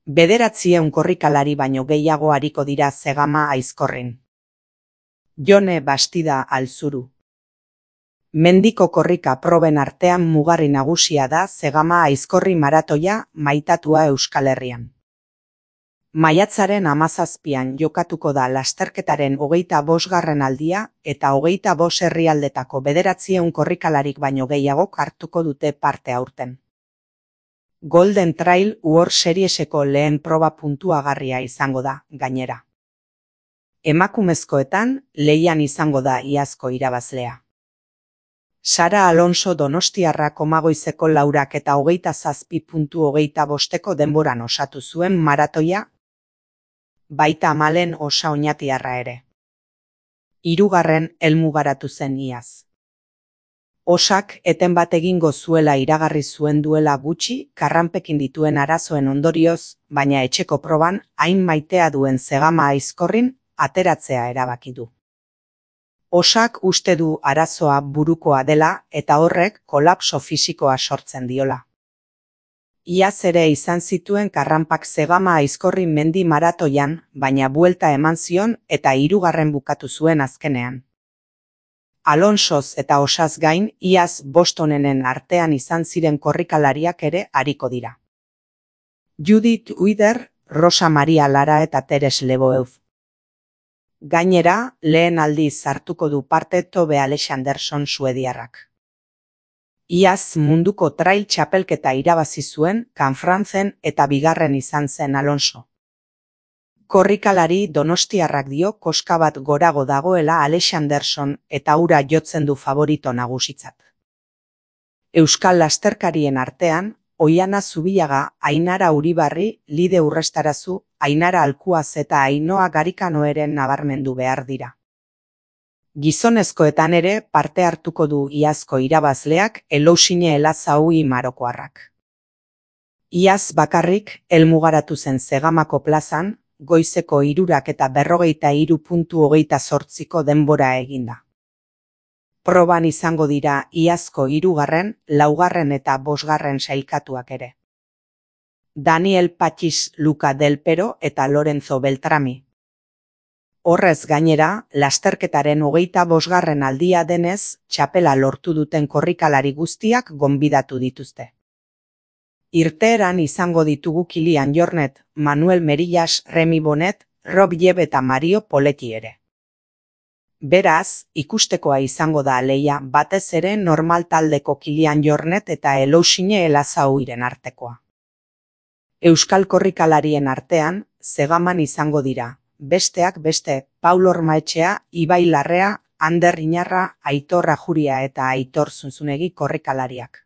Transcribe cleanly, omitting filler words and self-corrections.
900 korrikalari baino gehiago ariko dira Zegama Aizkorrin. Jone Bastida Alzuru. Mendiko korrika proben artean mugarri nagusia da Zegama Aizkorri maratoia maitatua Euskal Herrian. Maiatzaren 17an jokatuko da lasterketaren 25. aldia eta 25 herrialdetako 900 korrikalarik baino gehiagok hartuko dute parte aurten. Golden Trail World Serieseko lehen proba puntuagarria izango da, gainera. Emakumezkoetan lehian izango da iazko irabazlea. Sara Alonso donostiarra Komagoizeko 4 eta 27.25 denboran osatu zuen maratoia, baita Malen Osa Oñatiarra ere. 3. helmugaratu zen iaz. Osak eten bat egingo zuela iragarri zuen duela gutxi karranpekin dituen arazoen ondorioz, baina etxeko proban hain maitea duen Zegama Aizkorrin ateratzea erabaki du. Osak uste du arazoa burukoa dela eta horrek kolapso fisikoa sortzen diola. Iaz ere izan zituen karranpak Zegama Aizkorri mendi maratoian, baina buelta eman zion eta 3. bukatu zuen azkenean. Alonsoz eta Osaz gain, iaz Bostonenen artean izan ziren korrikalariak ere ariko dira. Judith Uider, Rosa Maria Lara eta Teres Leboeuf. Gainera, lehen aldiz hartuko du parte Tobe Alexanderson suediarrak. Iaz munduko trail txapelketa irabazi zuen Kanfrantzen eta 2. izan zen Alonso. Korrikalari donostiarrak dio koska bat gorago dagoela Alexanderson eta ura jotzen du favorito nagusitzat. Euskal lasterkarien artean, Oiana Zubillaga, Ainara Uribarri, Lide Urrestarazu, Ainara Alkuaz eta Ainoa Garikanoeren nabarmendu behar dira. Gizonezkoetan ere parte hartuko du iazko irabazleak Elousine Elazaui marokoarrak. Iaz bakarrik helmugaratu zen Zegamako plazan, goizeko 3 eta 43.28ko denbora eginda. Proban izango dira iazko 3., 4. eta 5. sailkatuak ere. Daniel Patxis, Luca Del Pero eta Lorenzo Beltrami. Horrez gainera, lasterketaren 25. aldia denez, txapela lortu duten korrikalari guztiak gonbidatu dituzte. Irteeran izango ditugu Kilian Jornet, Manuel Merillas, Remi Bonet, Rob Jeb eta Mario Poletti ere. Beraz, ikustekoa izango da lehia batez ere normal taldeko Kilian Jornet eta Elousine Elazauiren artekoa. Euskal korrikalarien artean, Zegaman izango dira, besteak beste, Paul Ormaetxea, Ibai Larrea, Ander Inarra, Aitor Ajuria eta Aitor Zunzunegi korrikalariak.